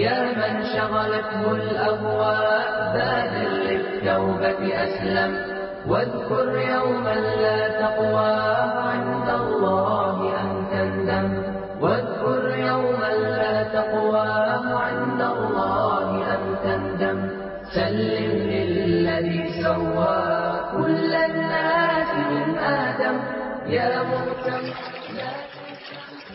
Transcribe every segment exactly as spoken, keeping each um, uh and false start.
يا من شغلته الأهواء بادر للتوبة أسلم واذكر يوما لا تقوى عند الله أن تندم واذكر يوما لا تقوى عند الله أن تندم سلم للذي سوى كل الناس من آدم يا مهتم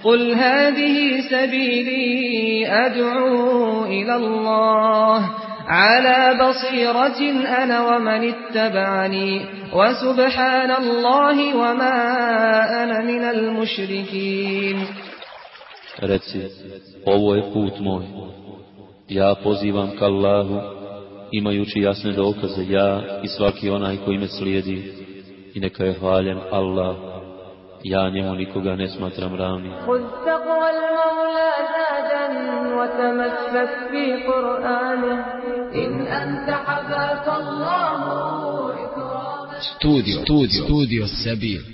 قل هذه سبيلي أدعو إلى الله على بصيرة أنا ومن اتبعني وسبحان الله وما أنا من المشركين. Reci, ovo je put moj, ja pozivam k Allahu, imajući jasne dokaze, ja i svaki onaj koji me slijedi, i neka je hvaljen Allah, ja njemu nikoga ne smatram ravnim. Studio, studio, studio Sebil.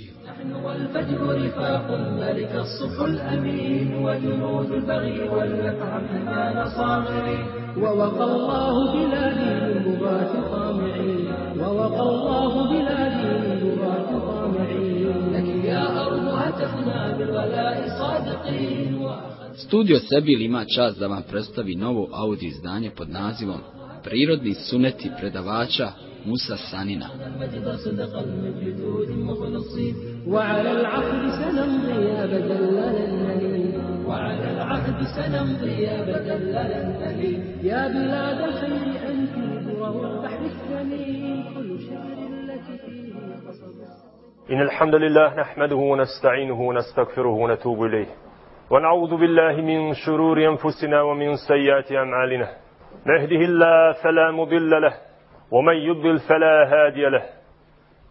والفجر رفاق الملك الصبح الأمين وجنود البغي والنفع حميان صاغرين ووقى الله بلادي من بغاة طامعين ووقى الله بلادي من بغاة طامعين لك يا أرض هتفنا بالولاء صادقين. Studio Sebil ima čast da vam predstavi novo audio izdanje pod nazivom Prirodni suneti predavača Musa Sanina. وعلى العقد سنمضي يا بدل للنبي وعلى العقد سنمضي يا بدل للنبي يا بلاد الخير أنت وهو البحر الثمين كل شعر التي فيه قصد. إن الحمد لله نحمده ونستعينه ونستغفره ونتوب إليه ونعوذ بالله من شرور أنفسنا ومن سيئات أعمالنا نهده الله فلا مضل له ومن يضلل فلا هادي له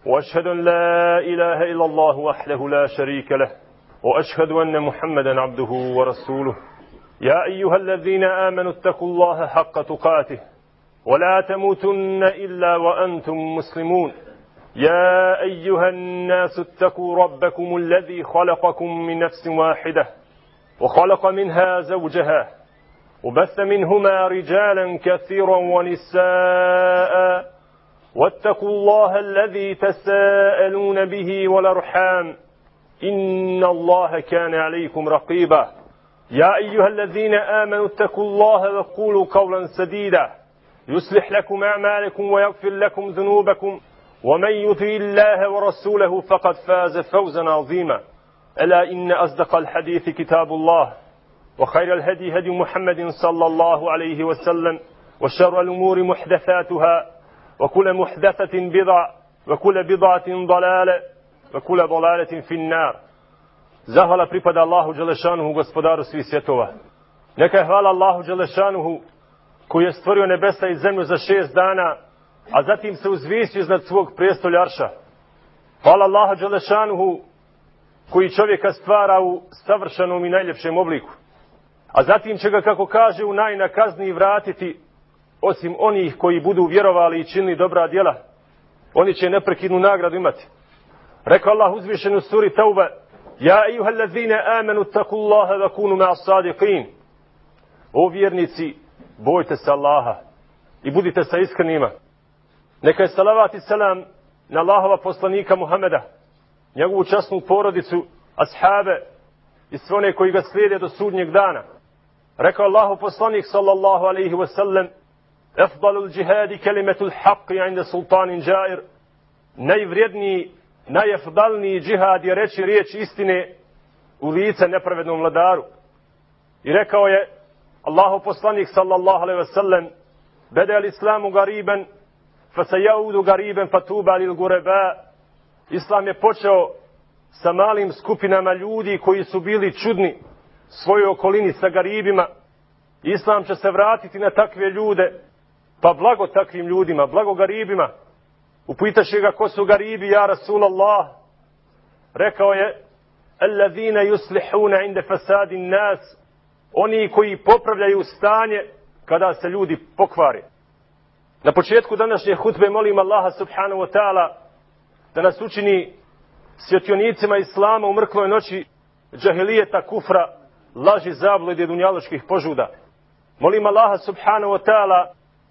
وأشهد أن لا إله إلا الله وحده لا شريك له وأشهد أن محمدا عبده ورسوله يا أيها الذين آمنوا اتقوا الله حق تقاته ولا تموتن إلا وأنتم مسلمون يا أيها الناس اتقوا ربكم الذي خلقكم من نفس واحدة وخلق منها زوجها وبث منهما رجالا كثيرا ونساء واتقوا الله الذي تساءلون به والأرحام إن الله كان عليكم رقيبا يا أيها الذين آمنوا اتقوا الله وقولوا قولا سديدا يصلح لكم أعمالكم ويغفر لكم ذنوبكم ومن يطع الله ورسوله فقد فاز فوزا عظيما ألا إن أصدق الحديث كتاب الله وخير الهدي هدي محمد صلى الله عليه وسلم وشر الأمور محدثاتها وكل محدثة بدعة وكل بدعة ضلالة وكل ضلالة في النار. Zahvala pripada Allahu Đelešanuhu, gospodaru svih svjetova. Neka je hvala Allahu Đelešanuhu koji je stvorio nebesa i zemlju za šest dana, a zatim se uzvisio iznad svog prijestolja Arša. Hvala Allahu Đelešanuhu koji čovjeka stvara u savršenom i najljepšem obliku, a zatim će ga, kako kaže, u najnakazniji vratiti, osim onih koji budu vjerovali i činili dobra djela. Oni će neprekidnu nagradu imati. Rekao Allah uzvišen u suri Tauba: Ja ejuhallazine amenu takullaha wa kunu ma'a sadiqin. O vjernici, bojte se Allaha i budite sa iskrenima. Neka je salavat i selam na Allahova poslanika Muhameda, njegovu časnu porodicu, ashabe i sve one koji ga slijede do sudnjeg dana. Rekao Allahu poslanik sallallahu alaihi wa sallam: Afdalul džihadi kelimetul haqqi inda sultanin džair. Najvrijedniji, najafdalniji džihad je reći riječ istine u lice nepravednom vladaru. I rekao je Allahu poslanik sallallahu alaihi wa sallam: Bede al islamu gariban, fa se jaudu gariban fatuba lil gureba. Islam je počeo sa malim skupinama ljudi koji su bili čudni svojoj okolini sa garibima. Islam će se vratiti na takve ljude, pa blago takvim ljudima, blago garibima. Upitaše ga ko su garibi, ja Rasulallah. Rekao je: Allazina yuslihuna inda fasadin nas. Oni koji popravljaju stanje kada se ljudi pokvari. Na početku današnje hutbe molim Allaha subhanahu wa ta'ala da nas učini svjetionicima Islama u mrkloj noći džahilijeta, kufra, laži, zablude i dunjaločkih požuda. Molim Allaha subhanahu wa ta'ala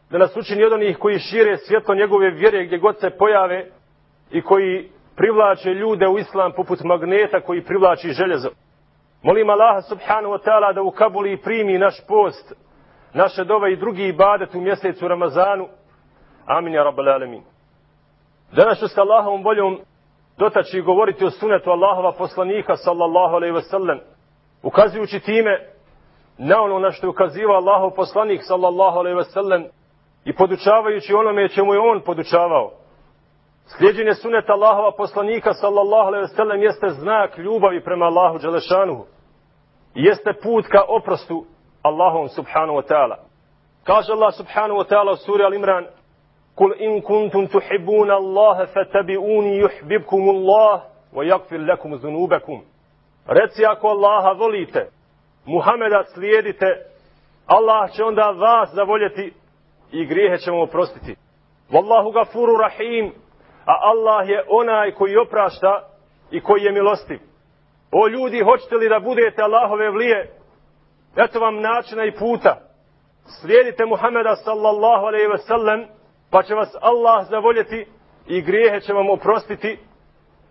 da nas učini od onih koji šire svjetlo njegove vjere gdje god se pojave i koji privlače ljude u islam poput magneta koji privlači željezo. Molim Allaha subhanahu wa ta'ala da ukabuli i primi naš post, naše dove i drugi ibadet u mjesecu Ramazanu. Amin ja rabbal alamin. Danas ću s Allahovom voljom dotaći i govoriti o sunetu Allahova poslanika sallallahu alejhi ve sellem, ukazujući time na ono na što je ukazivao Allahov poslanik sallallahu alejhi ve sellem i podučavajući onome čemu je on podučavao. Slijeđenje suneta Allahova poslanika sallallahu alejhi ve sellem jeste znak ljubavi prema Allahu dželešanuhu i jeste put ka oprostu Allahom subhanahu wa ta'ala. Kaže Allah subhanahu wa ta'ala u suri Al-Imran: Kul in kuntum tuhibbuna Allaha fattabi'uni yuhibbukum Allah wa yaghfir lakum dhunubakum. Reci ako Allaha volite, Muhameda slijedite, Allah će onda vas zavoljeti i grijehe će vam oprostiti. Wallahu gafuru rahim, a Allah je onaj koji oprašta i koji je milostiv. O ljudi, hoćete li da budete Allahove vlije? Eto vam načina i puta. Slijedite Muhameda sallallahu alejhi ve sellem, pa će vas Allah zavoljeti i grijehe će vam oprostiti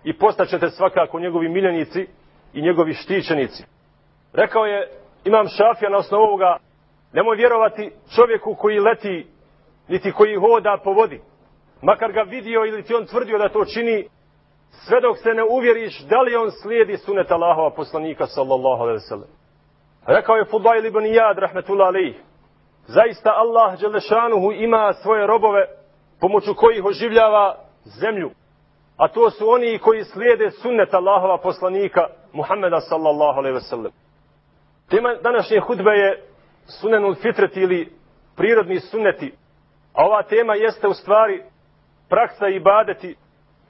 i postaćete svakako njegovi miljenici i njegovi štićenici. Rekao je Imam Šafija na osnovu ovoga: nemoj vjerovati čovjeku koji leti, niti koji hoda po vodi, makar ga vidio ili ti on tvrdio da to čini, sve dok se ne uvjeriš da li on slijedi sunet Allahova poslanika sallallahu alejhi ve sellem. Rekao je Fudail ibn Iyad rahmetullah alejh: zaista Allah dželešanuhu ima svoje robove pomoću kojih oživljava zemlju, a to su oni koji slijede sunnet Allahova poslanika Muhammeda sallallahu alejhi ve sellem. Tema današnje hudbe je sunenul fitreti ili prirodni sunneti, a ova tema jeste u stvari praksa i ibadeti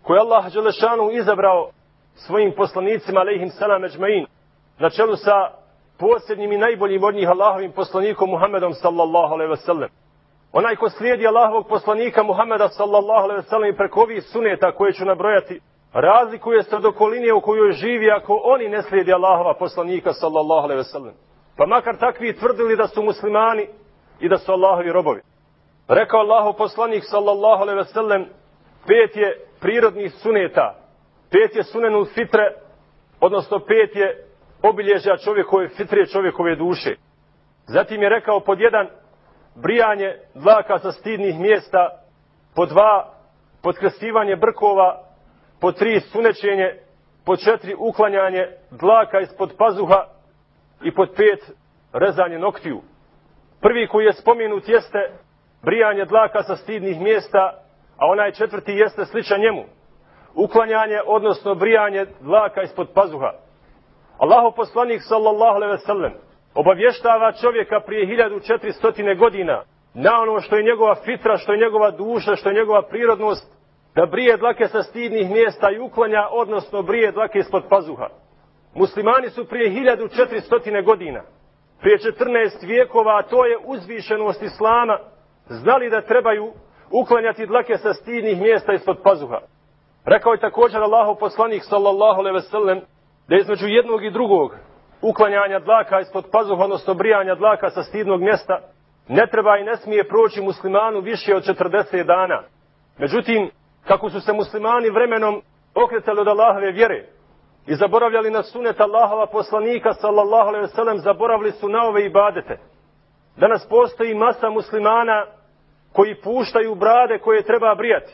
koje Allah dželešanu izabrao svojim poslanicima alejhim selam ejmain, na čelu sa posljednjim i najboljim od njih Allahovim poslanikom Muhammedom sallallahu alejhi ve sellem. Onaj ko slijedi Allahovog poslanika Muhammeda sallallahu alejhi ve sellem i preko ovih suneta koje ću nabrojati, razlikuje se od okoline u kojoj živi ako oni ne slijedi Allahova poslanika sallallahu alejhi ve sellem. Pa makar takvi tvrdili da su muslimani i da su Allahovi robovi. Rekao Allahov poslanik sallallahu alejhi ve sellem: pet je prirodnih suneta, pet je sunenul fitre, odnosno pet je obilježja čovjekove fitre, čovjekove duše. Zatim je rekao: pod jedan, brijanje dlaka sa stidnih mjesta, pod dva, podkresivanje brkova, pod tri, sunećenje, pod četiri, uklanjanje dlaka ispod pazuha i pod pet, rezanje noktiju. Prvi koji je spomenut jeste brijanje dlaka sa stidnih mjesta, a onaj četvrti jeste sličan njemu: uklanjanje, odnosno brijanje dlaka ispod pazuha. Allahov poslanik sallallahu alejhi ve sellem obavještava čovjeka prije hiljadu četiristo godina na ono što je njegova fitra, što je njegova duša, što je njegova prirodnost, da brije dlake sa stidnih mjesta i uklanja, odnosno brije dlake ispod pazuha. Muslimani su prije hiljadu četiristo godina, prije četrnaest vijekova, a to je uzvišenost Islama, znali da trebaju uklanjati dlake sa stidnih mjesta ispod pazuha. Rekao je također Allahov poslanik sallallahu alejhi ve sellem da između jednog i drugog uklanjanja dlaka ispod pazuha, odnosno brijanja dlaka sa stidnog mjesta, ne treba i ne smije proći muslimanu više od četrdeset dana. Međutim, kako su se muslimani vremenom okretali od Allahove vjere i zaboravljali na sunet Allahova poslanika sallallahu alejhi ve sellem, zaboravili su na ove ibadete. Danas postoji masa muslimana koji puštaju brade koje treba brijati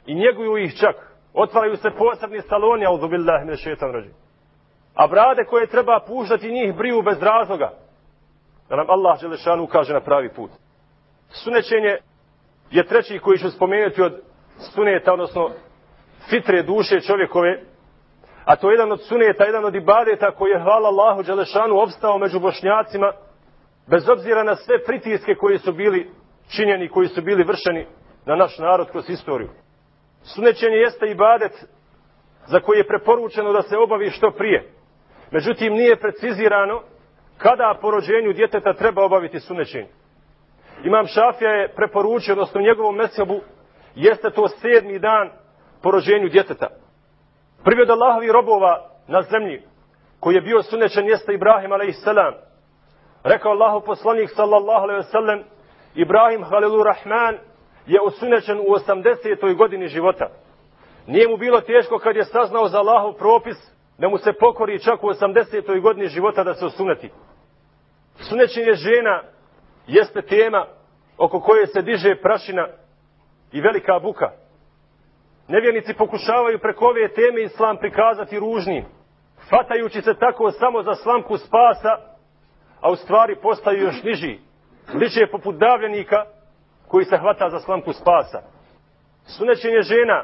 i njeguju ih čak. Otvaraju se posebni saloni, auzu billahi mine šejtanir racim. A brade koje treba puštati njih briju bez razloga. Da nam Allah dželešanu ukaže na pravi put. Sunećenje je treći koji ću spomenuti od suneta, odnosno fitre duše čovjekove, a to je jedan od suneta, jedan od ibadeta koji je, hvala Allahu dželešanu, opstao među Bošnjacima, bez obzira na sve pritiske koji su bili činjeni, koji su bili vršeni na naš narod kroz istoriju. Sunećenje jeste ibadet za koji je preporučeno da se obavi što prije. Međutim, nije precizirano kada po rođenju djeteta treba obaviti sunećenje. Imam Šafija je preporučio, odnosno u njegovom mezhebu jeste to sedmi dan po rođenju djeteta. Prvi od Allahovi robova na zemlji koji je bio sunećen jeste Ibrahim alejhi selam. Rekao Allahu poslanik sallallahu alejhi ve sellem, Ibrahim Halilur Rahman je osunećen u osamdesetoj godini života. Nije mu bilo teško kad je saznao za Allahov propis da mu se pokori čak u osamdesetoj godini života da se osuneti. Sunećenje žena jeste tema oko koje se diže prašina i velika buka. Nevjernici pokušavaju preko ove teme islam prikazati ružnim, fatajući se tako samo za slamku spasa, a u stvari postaju još niži, liče poput davljenika koji se hvata za slamku spasa. Sunećenje žena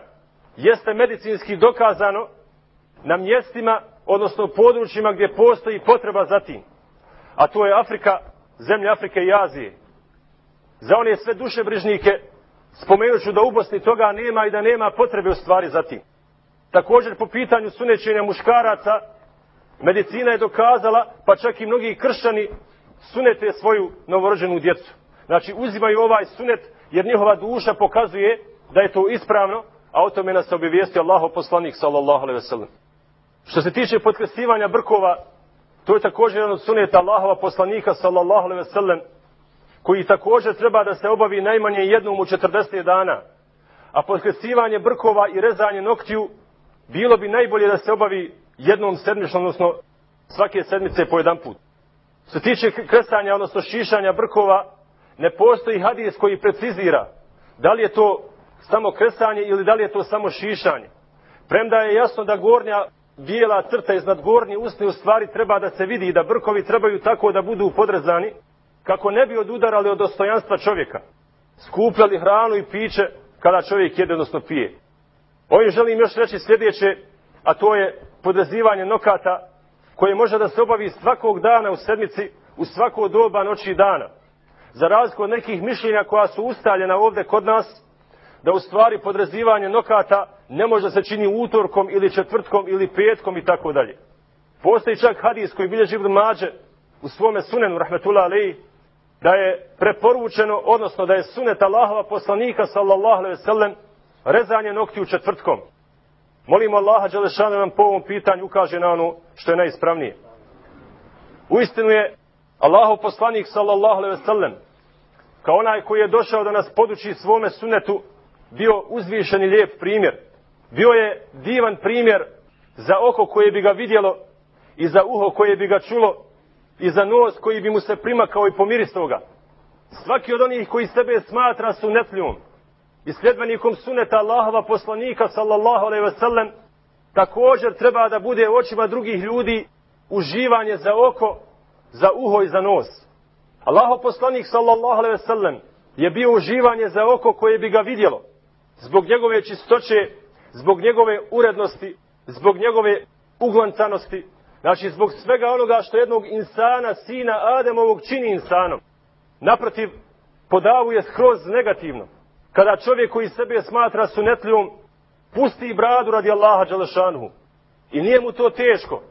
jeste medicinski dokazano na mjestima, odnosno područjima gdje postoji potreba za tim. A to je Afrika, zemlja Afrike i Azije. Za one sve dušebrižnike spomenut ću da u Bosni toga nema i da nema potrebe u stvari za tim. Također po pitanju sunećenja muškaraca, medicina je dokazala, pa čak i mnogi kršćani sunete svoju novorođenu djecu. Znači uzimaju ovaj sunet jer njihova duša pokazuje da je to ispravno, a o tome nas obavijestio Allahov poslanik sallallahu alejhi ve sellem. Što se tiče potkresivanja brkova, to je također jedan od suneta Allahova poslanika sallallahu alejhi ve sellem, koji također treba da se obavi najmanje jednom u četrdeset dana. A potkresivanje brkova i rezanje noktiju bilo bi najbolje da se obavi jednom sedmično, odnosno svake sedmice po jedan put. Što se tiče kresanja, odnosno šišanja brkova, ne postoji hadis koji precizira da li je to samo kresanje ili da li je to samo šišanje. Premda je jasno da gornja bijela crta iznad gornje usne u stvari treba da se vidi i da brkovi trebaju tako da budu podrezani kako ne bi odudarali od dostojanstva čovjeka, skupljali hranu i piće kada čovjek jede, odnosno pije. Ovim želim još reći sljedeće, a to je podrezivanje nokata koje može da se obavi svakog dana u sedmici, u svako doba noći i dana. Za razliku od nekih mišljenja koja su ustaljena ovdje kod nas, da u stvari podrezivanje nokata ne može se čini utorkom ili četvrtkom ili petkom i tako dalje. Postoji čak hadis koji bilježi Ibn Mađe u svome sunenu rahmetullah alejhi, da je preporučeno, odnosno da je sunet Allahova poslanika sallallahu alejhi ve sellem rezanje noktiju četvrtkom. Molimo Allaha dželešanu nam po ovom pitanju ukaže na ono što je najispravnije. Uistinu je Allahov poslanik sallallahu alejhi ve sellem kao onaj koji je došao da nas poduči svome sunetu bio uzvišen i lijep primjer. Bio je divan primjer za oko koje bi ga vidjelo i za uho koje bi ga čulo i za nos koji bi mu se primakao i pomiristao ga. Svaki od onih koji sebe smatra sunetljom i sljedbenikom suneta Allahova poslanika sallallahu alejhi ve sellem također treba da bude u očima drugih ljudi uživanje za oko, za uho i za nos. Allahov poslanik sallallahu alejhi ve sellem je bio uživanje za oko koje bi ga vidjelo zbog njegove čistoće, zbog njegove urednosti, zbog njegove uglancanosti, znači zbog svega onoga što jednog insana, sina Ademovog čini insanom. Naprotiv, podavuje skroz negativno. Kada čovjek koji sebe smatra sunetljom pusti bradu radi Allaha dželešanuhu i nije mu to teško,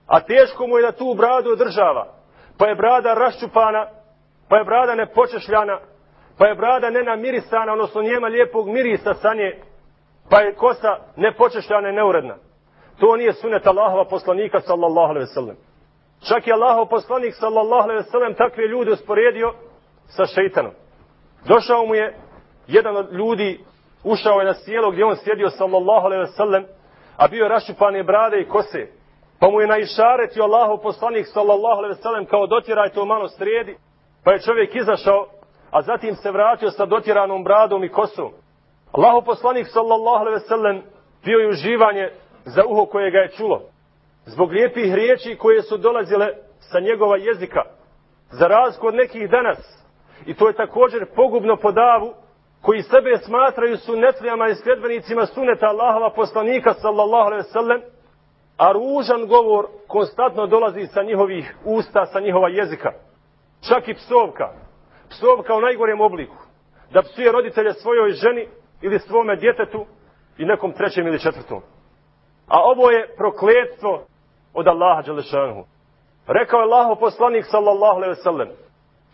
a teško mu je da tu bradu održava, pa je brada raščupana, pa je brada nepočešljana, pa je brada nenamirisana, odnosno njema lijepog mirisa sa nje, pa je kosa nepočešljana i neuredna. To nije sunet Allahova poslanika sallallahu alejhi ve sellem. Čak je Allahov poslanik sallallahu alejhi ve sellem takve ljude usporedio sa šejtanom. Došao mu je jedan od ljudi, ušao je na sjelo gdje on sjedio sallallahu alejhi ve sellem, a bio je raščupane brade i kose. Pa mu je naišaretio Allahov poslanik sallallahu alejhi ve sellem kao dotjeraj to malo sredi, pa je čovjek izašao, a zatim se vratio sa dotjeranom bradom i kosom. Allahov poslanik sallallahu alejhi ve sellem bio je uživanje za uho koje ga je čulo, zbog lijepih riječi koje su dolazile sa njegova jezika, za razliku od nekih danas. I to je također pogubno po davu koji sebe smatraju sunetlijama i sljedbenicima suneta Allahova poslanika sallallahu alejhi ve sellem, a ružan govor konstantno dolazi sa njihovih usta, sa njihova jezika. Čak i psovka. Psovka u najgorem obliku. Da psuje roditelje svojoj ženi ili svome djetetu i nekom trećem ili četvrtom. A ovo je prokletstvo od Allaha dželešanuhu. Rekao je Allahov poslanik sallallahu alejhi ve sellem: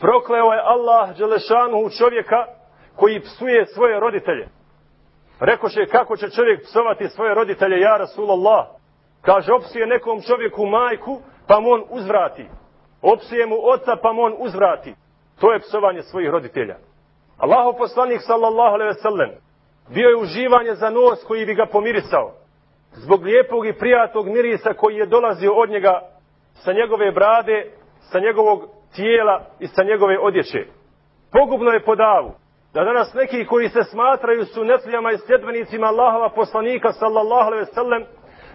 prokleo je Allah dželešanuhu čovjeka koji psuje svoje roditelje. Rekoše, kako će čovjek psovati svoje roditelje, ja Rasulullah? Kaže, opsuje nekom čovjeku majku, pa mu on uzvrati. opsuje mu oca pa mu on uzvrati. To je psovanje svojih roditelja. Allahov poslanik sallallahu alejhi ve sellem bio je uživanje za nos koji bi ga pomirisao, zbog lijepog i prijatnog mirisa koji je dolazio od njega sa njegove brade, sa njegovog tijela i sa njegove odjeće. Pogubno je po davu da danas neki koji se smatraju sunetlijama i sljedbenicima Allahova poslanika sallallahu alejhi ve sellem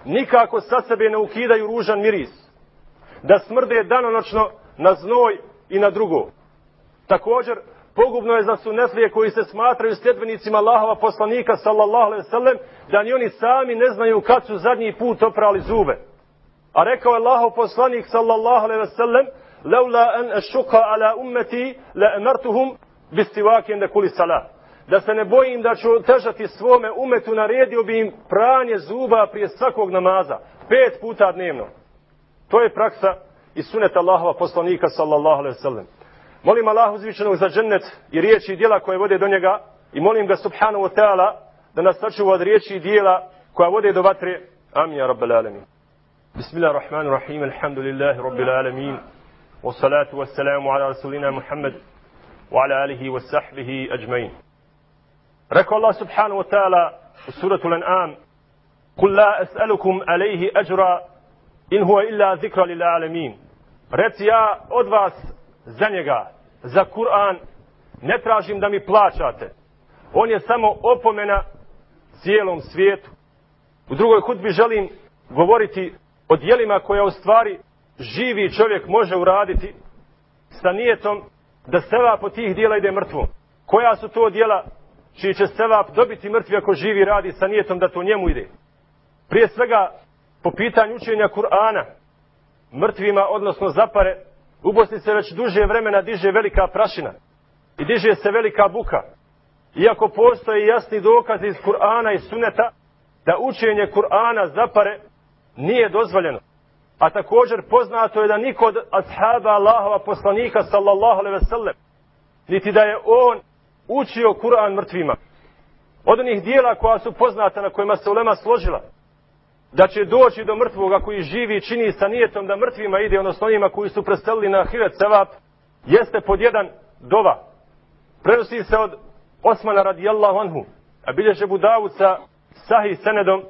nikako sa sebe ne ukidaju ružan miris, da smrde danonoćno na znoj i na drugo. Također, pogubno je za sunetlije koji se smatraju sljedbenicima Allahova poslanika sallallahu alejhi ve sellem da ni oni sami ne znaju kad su zadnji put oprali zube. A rekao je Allahov poslanik sallallahu alejhi ve sellem: "Laula an ashqa ala ummati la amartuhum bistiwakin da kulli salat." Da se ne bojim da ću otežati svome umetu, naredio bi im pranje zuba prije svakog namaza, pet puta dnevno. To je praksa i sunet Allahova poslanika sallallahu alejhi ve sellem. Molim Allah uzvišenog za džennet i riječi i djela koje vode do njega i molim ga subhanahu wa ta'ala da nas sačuva od riječi i djela koja vode do vatre. Amin ya rabbal alamin. Bismillahirrahmanirrahim. Alhamdulillahi rabbil alamin. Wassalatu wassalamu ala rasulina Muhammad wa ala alihi wa sahbihi ajmain. Rekao Allah subhanahu wa ta'ala u suratu Al-An'am: "Kul la as'alukum alayhi ajra in huwa illa zikra lil alamin." Reci, ja od vas za njega, za Kur'an, ne tražim da mi plaćate. On je samo opomena cijelom svijetu. U drugoj hudbi želim govoriti o djelima koja u stvari živi čovjek može uraditi sa nijetom da sevap od tih djela ide mrtvom. Koja su to djela čiji će sevap dobiti mrtvi ako živi radi sa nijetom da to njemu ide? Prije svega, po pitanju učenja Kur'ana, mrtvima, odnosno zapare, u Bosni se već duže vremena diže velika prašina i diže se velika buka. Iako postoje jasni dokazi iz Kur'ana i Suneta da učenje Kur'ana zapare nije dozvoljeno. A također poznato je da niko od ashaba Allahova poslanika sallallahu alejhi ve sellem niti da je on učio Kur'an mrtvima. Od onih dijela koja su poznata na kojima se ulema složila da će doći do mrtvoga koji živi i čini sa nijetom da mrtvima ide, odnosno onima koji su preselili na ahiret sevap, jeste pod jedan dova. Prenosi se od Osmana radijallahu anhu, a bilježe Abu Davud sa sahih senedom,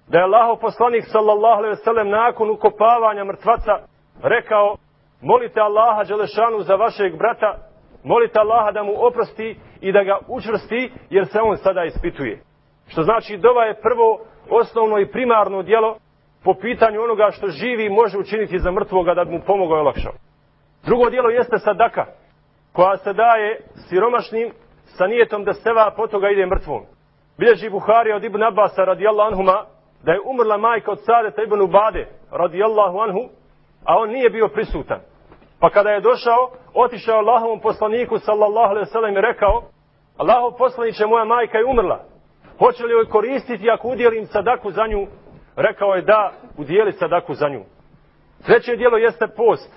da je Allahov poslanik sallallahu alejhi ve sellem nakon ukopavanja mrtvaca rekao: "Molite Allaha dželešanu za vašeg brata, molite Allaha da mu oprosti i da ga učvrsti, jer se on sada ispituje." Što znači, dova je prvo, osnovno i primarno djelo po pitanju onoga što živi može učiniti za mrtvoga da bi mu pomogao i olakšao. Drugo djelo jeste sadaka, koja se daje siromašnim sa nijetom da sevap od toga ide mrtvom. Bilježi Buharija od Ibn Abasa radijallahu anhuma da je umrla majka od Sadeta ibn Ubade radijallahu anhu, a on nije bio prisutan. Pa kada je došao, otišao Allahovom poslaniku sallallahu alejhi ve sellem i rekao: "Allahov poslaniče, moja majka je umrla. Hoće li joj koristiti ako udjelim sadaku za nju?" Rekao je: "Da, udjeli sadaku za nju." Treće djelo jeste post.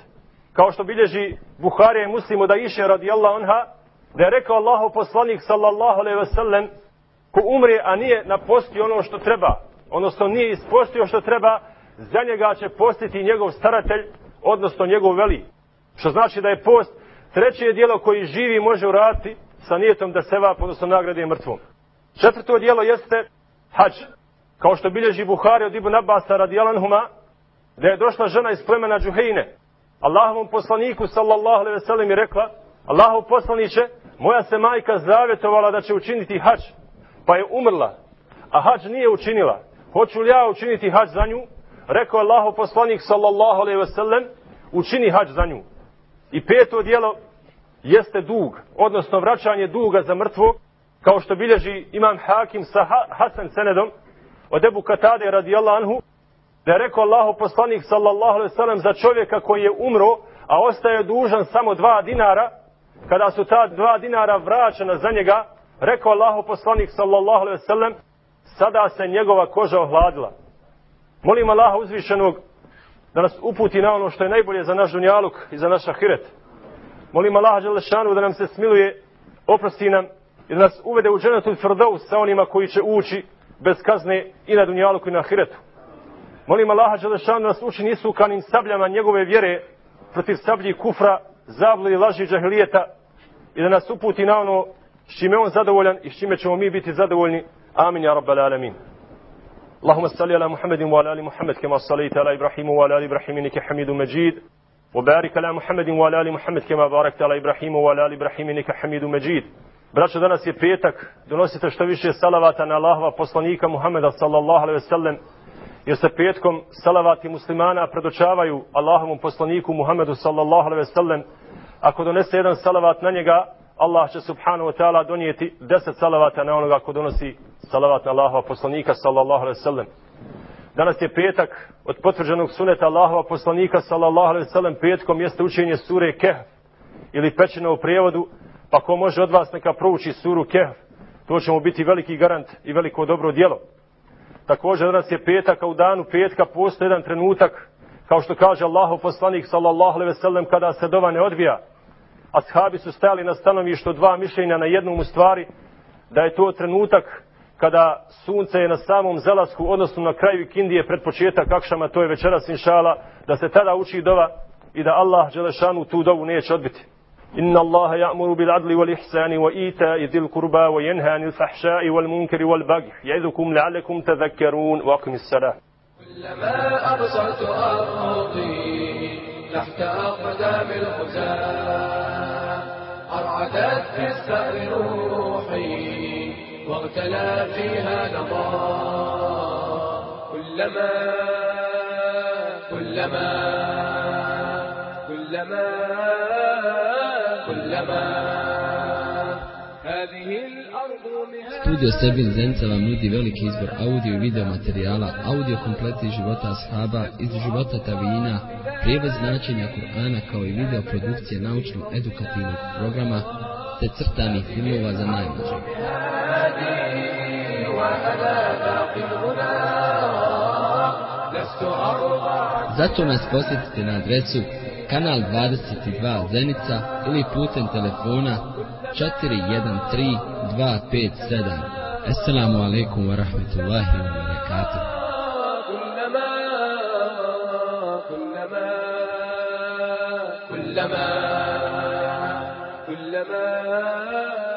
Kao što bilježi Buharija i Muslim od Aiše radijallahu anha, da je rekao Allahov poslanik sallallahu alejhi ve sellem: "Ko umre, a nije napostio ono što treba, odnosno nije ispostio što treba, za njega će postiti njegov staratelj, odnosno njegov veli." Što znači da je post treće djelo koji živi može uraditi sa nijetom da sevap, odnosno nagrade mrtvom. Četvrto djelo jeste hadž. Kao što bilježi Buhari od Ibn Abasa radijallahu anhuma, da je došla žena iz plemena Džuhejne Allahovom poslaniku sallallahu alejhi ve sellem i rekla: "Allahov poslaniče, moja se majka zavjetovala da će učiniti hadž, pa je umrla, a hadž nije učinila. Hoću li ja učiniti hadž za nju?" Rekao je Allahov poslanik sallallahu alejhi ve sellem: "Učini hadž za nju." I peto djelo jeste dug, odnosno vraćanje duga za mrtvo, kao što bilježi imam Hakim sa Hasan senedom od Ebu Katade radijallahu anhu, da je rekao Allahov poslanik sallallahu alejhi ve sellem za čovjeka koji je umro, a ostaje dužan samo dva dinara, kada su ta dva dinara vraćena za njega, rekao Allahov poslanik sallallahu alejhi ve sellem: "Sada se njegova koža ohladila." Molim Allaha uzvišenog da nas uputi na ono što je najbolje za naš dunjaluk i za naš ahiret. Molim Allaha dželešanu da nam se smiluje, oprosti nam i da nas uvede u džennetul firdaus sa onima koji će ući bez kazne i na dunjaluku i na ahiretu. Molim Allaha dželešanu da nas učini isukanim sabljama njegove vjere protiv sablji kufra, zablude i laži džahilijeta i da nas uputi na ono s čime on zadovoljan i s čime ćemo mi biti zadovoljni. Amin ja rabbal alamin. Allahumma salli ala Muhammedin wa ala ali Muhammed kama sallaita ala Ibrahimu wa ala ali Ibrahim innaka Hamidum Majid. وبارك على محمد وعلى آل محمد كما باركت على إبراهيم وعلى آل إبراهيم إنك حميد مجيد. Braćo, danas je petak, donosite što više salavata na Allahova poslanika Muhameda sallallahu alejhi ve sellem, jer se petkom salavati muslimana predočavaju Allahovom poslaniku Muhamedu sallallahu alejhi ve sellem. Ako donese jedan salavat na njega, Allah će subhanahu wa ta'ala donijeti deset salavata na onoga ko donosi salavat na Allahova poslanika sallallahu alejhi ve sellem. Danas je petak, od potvrđenog suneta Allahova poslanika sallallahu alejhi ve sellem petkom jeste učenje sure Kehf ili pećina u prijevodu, pa ko može od vas neka prouči suru Kehf, to će mu biti veliki garant i veliko dobro djelo. Također danas je petak, a u danu petka postoji jedan trenutak, kao što kaže Allahov poslanik sallallahu alejhi ve sellem, kada se dova ne odvija. Ashabi su stajali na stanovištu dva mišljenja na jednom u stvari, da je to trenutak kada sunce je na samom zalasku, odnosno na kraju ikindije pred početak akšama, to je večeras inšala, da se tada uči dova i da Allah dželešanu tu dovu neće odbiti. Inna Allaha ya'muru bil adli wal ihsani wa ita'i dhil qurba wa yanha 'anil fahsha'i wal munkari wal baghi ya'idhukum la'allakum tadhakkarun wa aqimis salah. كلما أبصرت أرضي تحت أقدام الخزاع أرعدت في الثأر روحي واغتلى فيها نضاء. كلما كلما كلما كلما هذه الأرض مهاد. Studio Sebil Zenica vam nudi veliki izbor audio i video materijala, audio kompleti života ashaba, iz života tabijina, prijevod značenja Kur'ana kao i video produkcije naučno-edukativnog programa te crtanih filmova za najmlađe. Zato nas posjetite na adresu kanal dvadeset dva Zenica ili putem telefona četiri jedan tri dva pet sedam. Assalamu alaikum wa rahmatullahi wa barakatuh. كلما كلما